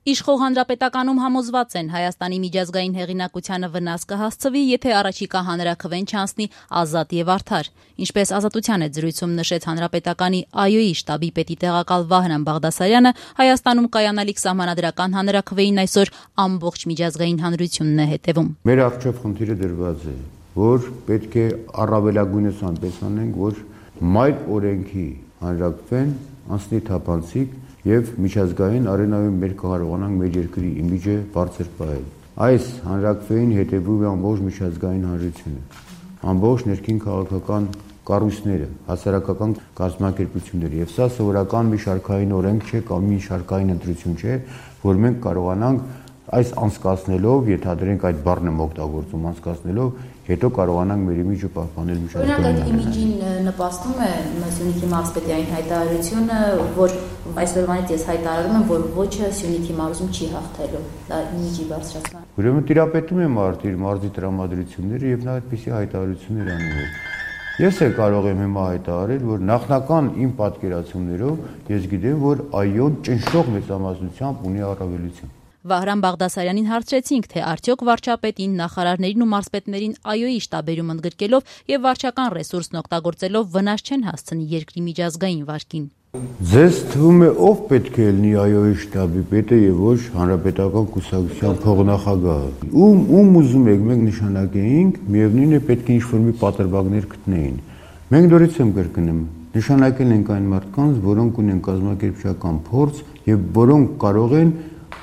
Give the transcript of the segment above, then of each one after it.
Իշխող հանրապետականում համոզված են, Հայաստանի միջազգային հեղինակությանը վնաս կհասցվի, եթե առաջիկա հանրաքվեն չանցնի ազատ եւ արդար։ Ինչպես Ազատության հետ զրույցում նշեց հանրապետականի ԱՅՈ-ի շտաբի պետի տեղակալ Վահրամ Բաղդասարյանը, Հայաստանում կայանալիք սահմանադրական հանրաքվեին այսօր ամբողջ միջազգային հանրությունն է հետևում։ Մեր առջև խնդիրը դրված է, որ պետք է առավելագույնս այնպես անենք, որ մայր օրենքի հանրաքվեն անցնի թափանցիկ եւ միջազգային արենայում մեր կարողանանք մեր երկրի իմիջը բարձր պահել։ Այս հանրաքվեին հետևում է ամբողջ միջազգային հանրությունը, ամբողջ ներքին քաղաքական կառույցները, հասարակական կազմակերպությունները, եւ սա սովորական մի շարքային օրենք չէ կամ մի շարքային ընտրություն չէ, որ մենք կարողանանք այս անցկացնելով, ենթադրենք այդ բառն եմ օգտագործում, անցկացնելով, հետո կարողանանք մեր իմիջը պահպանել միջազգային։ Օրինակ այդ իմիջին նպաստում է Սյունիքի մարզպետի հայտարարությունը, որ այսօրվանից ես հայտարարում եմ, որ ոչը Սյունիքի մարզում չի հաղթելու, դա իմիջի բարձրացման։ Ուրեմն տիրապետում է մարզի տրամադրությունները եւ նա այդպիսի հայտարարություններ անում է։ Ես էլ կարող եմ հիմա հայտարարել, որ նախնական իմ պատկերացումներով ես գիտեմ, որ ԱՅՈ-ն ճնշող մեծամասնությամբ ունի առավելություն։ Վահրամ Բաղդասարյանին հարցրեցինք, թե արդյոք վարչապետին, նախարարներին ու մարզպետներին ԱՅՈ-ի շտաբերում ընդգրկելով եւ վարչական ռեսուրսն օգտագործելով վնաս չեն հասցնի երկրի միջազգային վարկին։ Ձեզ թվում է ով պետք է լինի ԱՅՈ-ի շտաբի պետը եւ ոչ հանրապետական կուսակցության փոխնախագահը։ Ում ուզում եք մենք նշանակեինք, միևնույն է պետք է ինչ-որ մի պատրվակներ գտնեին։ Մենք նորից եմ կրկնում, նշանակել ենք այն մարդկանց, որոնք ունեն կազմակերպչական փորձ եւ որոնք կարող են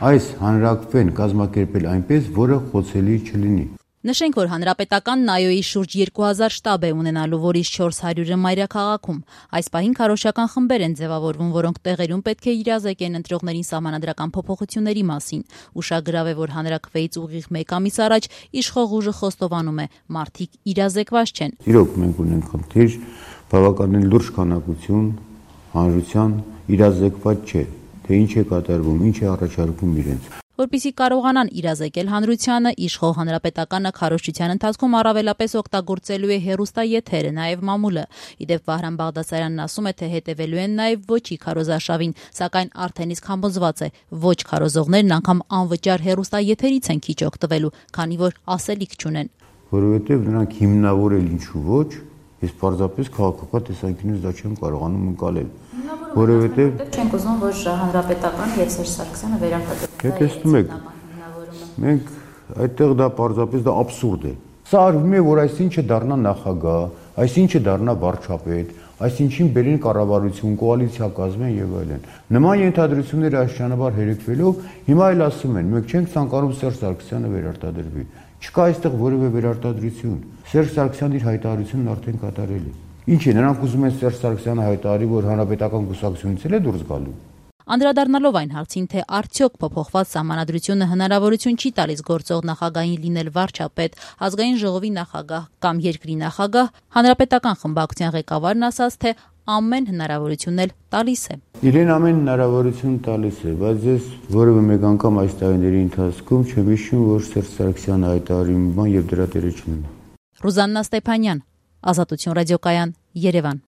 այս հանրաքվեն կազմակերպել այնպես, որը խոցելի չլինի։ Նշենք, որ հանրապետականն ԱՅՈ-ի շուրջ 2000 շտաբ է ունենալու, որից 400-ը մայրաքաղաքում։ Այս պահին քարոզչական խմբեր են ձևավորվում, որոնք տեղերում պետք է իրազեկեն ընտրողներին սահմանադրական փոփոխությունների մասին։ Ուշագրավ է, որ հանրաքվեից ուղիղ 1 ամիս առաջ իշխող ուժը խոստովանում է՝ մարդիկ իրազեկված չեն։ Իրոք մենք ունենք խնդիր, բավականին լուրջ քանակություն հանրության իրազեկված չէ, թե ինչ է կատարվում, ինչ է առաջարկում իրենց։ Որպեսզի կարողանան իրազեկել հանրությանը, իշխող հանրապետականը քարոզչության ընթացքում առավելապես օգտագործելու է հեռուստաեթերը, նաև մամուլը։ Իդեպ Վահրամ Բաղդասարյանն ասում է, թե հետևելու են նաև ոչի քարոզարշավին, սակայն արդեն իսկ համոզված է, ոչ քարոզողներն անգամ անվճար հեռուստաեթերից են քիչ օգտվելու, քանի որ ասելիք չունեն։ Որովհետև նրանք հիմնավորել ինչու ոչ, ես պարզապես քաղաքական տեսանկյունից դա չեմ կարողանում ընկալել։ Որովհետև չենք ուզում, որ հանրապետական եւ Սերժ Սարգսյանը վերարտադրեն։ Դե տեսնում եք, մենք այդտեղ դա պարզապես դա աբսուրդ է։ Սա արվում է, որ այսինչը դառնա նախագահ, այսինչը դառնա վարչապետ, այսինչին բերեն կառավարություն, կոալիցիա կազմեն եւ այլն։ Նման ենթադրությունները աշխանաբար հերեկվելով հիմա էլ ասում են, մենք չենք ցանկանում Սերժ Սարգսյանը վերարտադրվի։ Չկա այստեղ որևէ վերարտադրություն։ Սերժ Սարգսյանն իր հայտարարությունն արդեն կատարել է։ Ինչ է, նրանք ուզում են Սերժ Սարգսյանը հայտարարի, որ հանրապետական կուսակցությունից էլ է դուրս գալու։ Անդրադառնալով այն հարցին, թե արդյոք փոփոխված սահմանադրությունը հնարավորություն չի տալիս գործող նախագահին լինել վարչապետ, ազգային ժողովի նախագահ կամ երկրի նախագահ, հանրապետական խմբակցության ղեկավարն ասաց, թե ամեն հնարավորություն էլ տալիս է։ Իրեն ամեն հնարավորություն տալիս է, բայց ես որևէ մեկ անգամ այս տարիների ընթացքում չեմ հիշում, որ Սերժ Սարգսյանը հայտարարի մի բան եւ դրա տերը չլինի։ Ռուզաննա Ստեփանյան, Ազատություն ռադիոկայան, Երևան։